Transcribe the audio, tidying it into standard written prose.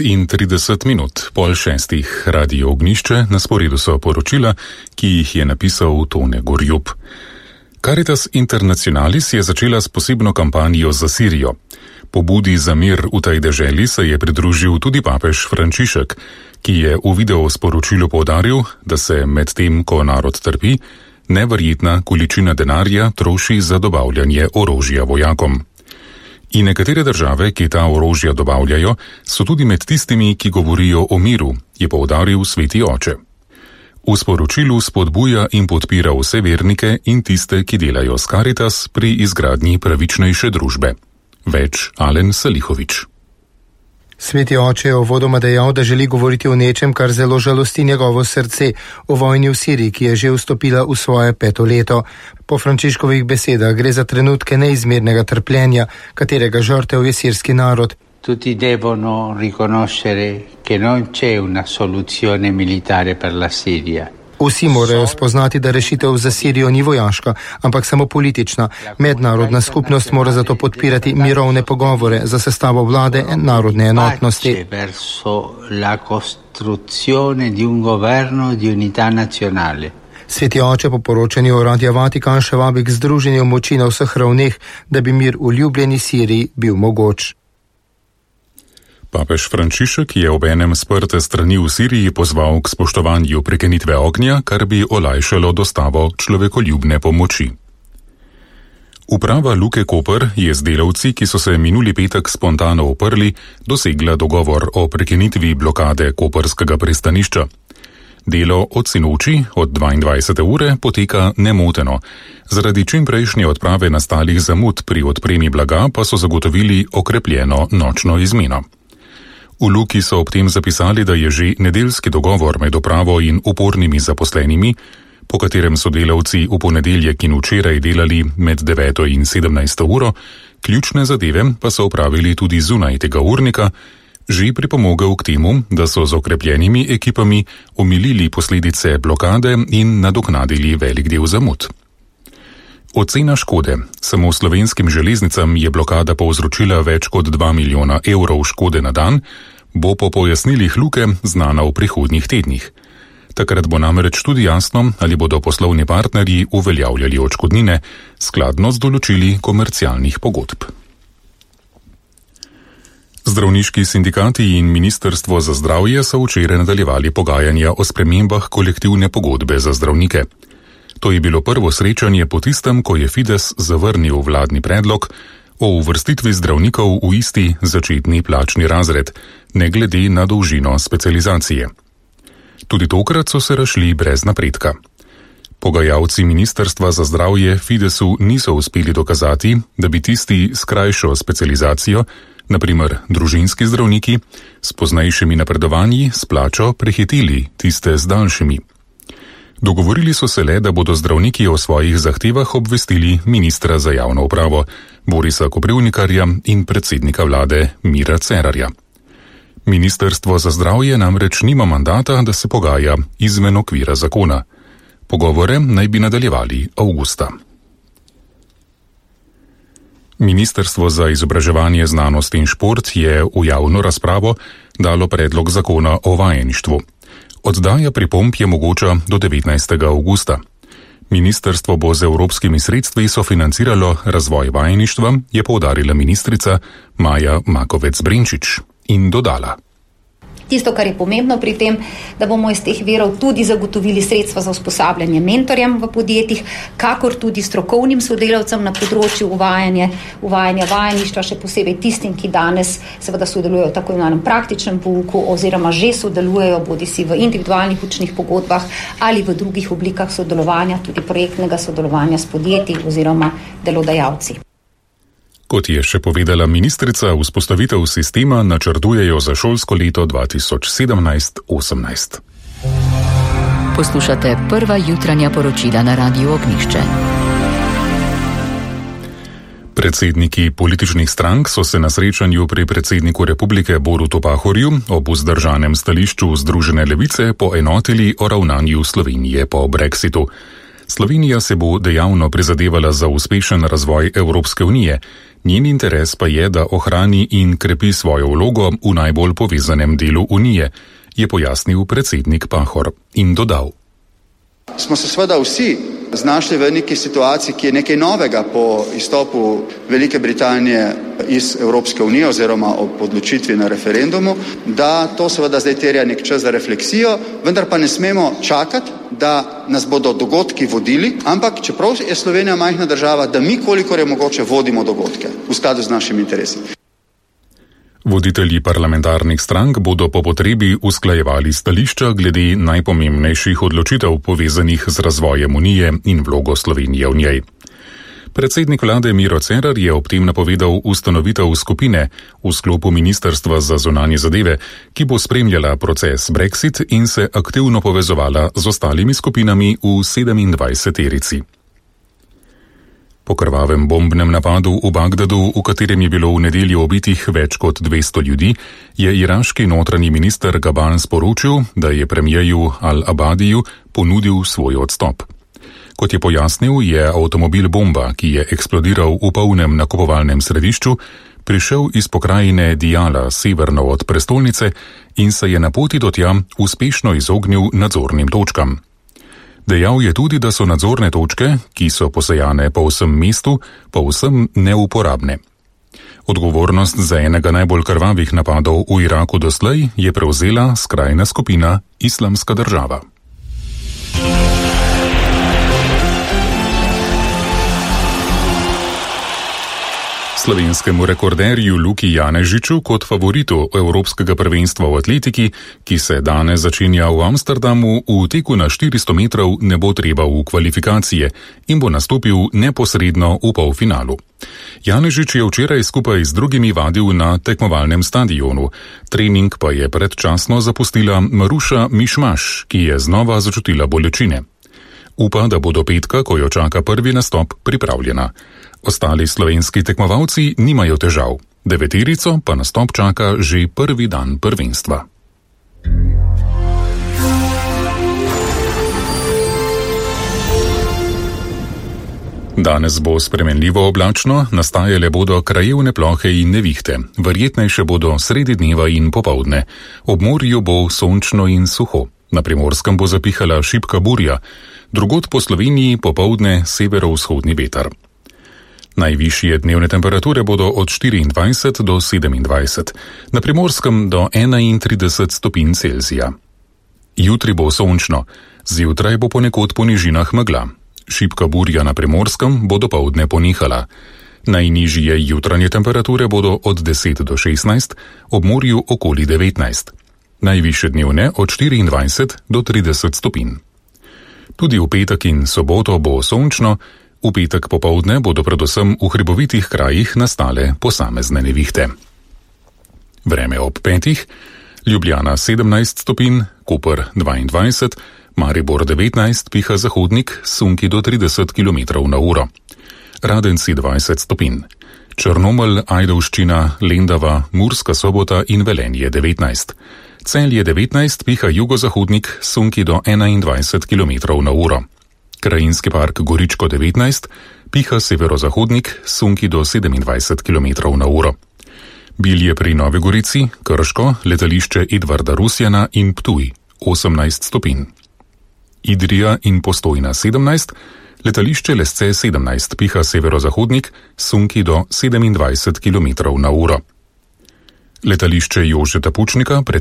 5:30, 5:30, Radio Ognjišče, na sporedu so poročila, ki jih je napisal Tone Gorjup. Caritas Internationalis je začela s posebno kampanjo za Sirijo. Pobudi za mir v tej deželi se je pridružil tudi papež Frančišek, ki je v videosporočilu poudaril, da se med tem, ko narod trpi, neverjetna količina denarja troši za dobavljanje orožja vojakom. In nekatere države, ki ta orožja dobavljajo, so tudi med tistimi, ki govorijo o miru, je poudaril Sveti oče. V sporočilu spodbuja in podpira vse vernike in tiste, ki delajo s Caritas pri izgradnji pravičnejše družbe. Več Alen Salihovič. Sveti oče je uvodoma dejal, da želi govoriti o nečem, kar zelo žalosti njegovo srce, o vojni v Siriji, ki je že vstopila v svoje 5. leto. Po Frančiškovih besedah gre za trenutke neizmernega trpljenja, katerega žrtev je sirski narod. Tutti devono riconoscere che non c'è una soluzione militare per la Siria. Vsi morajo spoznati, da rešitev za Sirijo ni vojaška, ampak samo politična. Mednarodna skupnost mora zato podpirati mirovne pogovore za sestavo vlade in narodne enotnosti. Sveti oče po poročanju Radia Vatikan še vabi k združenju moči na vseh ravneh, da bi mir v ljubljeni Siriji bil mogoč. Papež Frančišek je obenem sprte strani v Siriji pozval k spoštovanju prekinitve ognja, kar bi olajšalo dostavo človekoljubne pomoči. Uprava Luke Koper je z delavci, ki so se minuli petek spontano uprli, dosegla dogovor o prekinitvi blokade koperskega pristanišča. Delo od sinoči, od 22. ure, poteka nemoteno. Zaradi čimprejšnje odprave nastalih zamud pri odpremi blaga pa so zagotovili okrepljeno nočno izmeno. V Luki so ob tem zapisali, da je že nedeljski dogovor med upravo in upornimi zaposlenimi, po katerem so delavci v ponedeljek in včeraj delali med 9. in 17. uro, ključne zadeve pa so opravili tudi zunaj tega urnika, že pripomogel k temu, da so z okrepljenimi ekipami omilili posledice blokade in nadoknadili velik del zamud. Ocena škode. Samo slovenskim železnicam je blokada povzročila več kot 2 milijona evrov škode na dan, bo po pojasnilih Luke znana v prihodnjih tednih. Takrat bo namreč tudi jasno, ali bodo poslovni partnerji uveljavljali odškodnine skladno z določili komercialnih pogodb. Zdravniški sindikati in Ministrstvo za zdravje so včeraj nadaljevali pogajanja o spremembah kolektivne pogodbe za zdravnike. To je bilo prvo srečanje po tistem, ko je Fides zavrnil vladni predlog o uvrstitvi zdravnikov v isti začetni plačni razred, ne glede na dolžino specializacije. Tudi tokrat so se razšli brez napredka. Pogajalci Ministrstva za zdravje Fidesu niso uspeli dokazati, da bi tisti s krajšo specializacijo, naprimer družinski zdravniki, s poznejšimi napredovanji s plačo prehiteli tiste z daljšimi. Dogovorili so se le, da bodo zdravniki o svojih zahtevah obvestili ministra za javno upravo Borisa Koprivnikarja in predsednika vlade Mira Cerarja. Ministrstvo za zdravje namreč nima mandata, da se pogaja izven okvira zakona. Pogovore naj bi nadaljevali avgusta. Ministrstvo za izobraževanje, znanost in šport je v javno razpravo dalo predlog zakona o vajeništvu. Oddaja pripomb je mogoča do 19. avgusta. Ministrstvo bo z evropskimi sredstvi sofinanciralo razvoj vajeništva, je poudarila ministrica Maja Makovec-Brenčič in dodala. Tisto, kar je pomembno pri tem, da bomo iz teh virov tudi zagotovili sredstva za usposabljanje mentorjem v podjetjih, kakor tudi strokovnim sodelavcem na področju uvajanja vajeništva, še posebej tistim, ki danes seveda sodelujejo v tako imenovanem praktičnem pouku oziroma že sodelujejo bodisi v individualnih učnih pogodbah ali v drugih oblikah sodelovanja, tudi projektnega sodelovanja s podjetji oziroma delodajalci. Kot je še povedala ministrica, vzpostavitev sistema načrtujejo za šolsko leto 2017-18. Poslušate prva jutranja poročila na Radiu Ognjišče. Predsedniki političnih strank so se na srečanju pri predsedniku republike Borutu Pahorju ob vzdržanem stališču Združene levice poenotili o ravnanju Slovenije po Brexitu. Slovenija se bo dejavno prizadevala za uspešen razvoj Evropske unije. Njen interes pa je, da ohrani in krepi svojo vlogo v najbolj povezanem delu unije, je pojasnil predsednik Pahor in dodal. Smo se seveda vsi znašli v neki situaciji, ki je nekaj novega po izstopu Velike Britanije iz Evropske unije oziroma ob odločitvi na referendumu, da to seveda zdaj terja nek čas za refleksijo, vendar pa ne smemo čakati, da nas bodo dogodki vodili, ampak čeprav je Slovenija majhna država, da mi kolikor je mogoče vodimo dogodke v skladu z našimi interesi. Voditelji parlamentarnih strank bodo po potrebi usklajevali stališča glede najpomembnejših odločitev povezanih z razvojem unije in vlogo Slovenije v njej. Predsednik vlade Miro Cerar je ob tem napovedal ustanovitev skupine v sklopu Ministrstva za zunanje zadeve, ki bo spremljala proces Brexit in se aktivno povezovala z ostalimi skupinami v 27-terici. Po krvavem bombnem napadu v Bagdadu, v katerem je bilo v nedeljo ubitih več kot 200 ljudi, je iraški notranji minister Gaban sporočil, da je premijeju Al-Abadiju ponudil svoj odstop. Kot je pojasnil, je avtomobil bomba, ki je eksplodiral v polnem nakupovalnem središču, prišel iz pokrajine Diyala severno od prestolnice in se je na poti do tja uspešno izognil nadzornim točkam. Dejal je tudi, da so nadzorne točke, ki so posejane po vsem mestu, povsem neuporabne. Odgovornost za enega najbolj krvavih napadov v Iraku doslej je prevzela skrajna skupina Islamska država. Slovenskemu rekorderju Luki Janežiču kot favoritu Evropskega prvenstva v atletiki, ki se danes začenja v Amsterdamu, v teku na 400 metrov ne bo treba v kvalifikacije in bo nastopil neposredno v polfinalu. Janežič je včeraj skupaj z drugimi vadil na tekmovalnem stadionu. Trening pa je predčasno zapustila Maruša Mišmaš, ki je znova začutila bolečine. Upa, da bo do petka, ko jo čaka prvi nastop, pripravljena. Ostali slovenski tekmovalci nimajo težav. 9-terico pa nastop čaka že prvi dan prvenstva. Danes bo spremenljivo oblačno, nastajale bodo krajevne plohe in nevihte. Verjetnejše bodo sredi dneva in popoldne. Ob morju bo sončno in suho. Na Primorskem bo zapihala šibka burja. Drugod po Sloveniji popoldne severovzhodni veter. Najvišje dnevne temperature bodo od 24 do 27, na Primorskem do 31 stopinj Celzija. Jutri bo sončno, zjutraj bo ponekod po nižinah megla. Šibka burja na Primorskem bo dopoldne ponehala. Najnižje jutranje temperature bodo od 10 do 16, ob morju okoli 19. Najvišje dnevne od 24 do 30 stopinj. Tudi v petek in soboto bo sončno, v petek popoldne bodo predvsem v hribovitih krajih nastale posamezne nevihte. Vreme ob 5, Ljubljana 17 stopinj, Koper 22, Maribor 19, piha zahodnik, sunki do 30 km/h. Radenci 20 stopinj, Črnomelj, Ajdovščina, Lendava, Murska Sobota in Velenje 19. Celje 19, piha jugozahodnik, sunki do 21 km/h. Krajinski park Goričko 19, piha severozahodnik, sunki do 27 km/h. Bilje pri Novi Gorici, Krško, letališče Edvarda Rusjana in Ptuj 18 stopinj. Idrija in Postojna 17, letališče Lesce 17, piha severozahodnik, sunki do 27 km/h. Letališče Jožeta Pučnika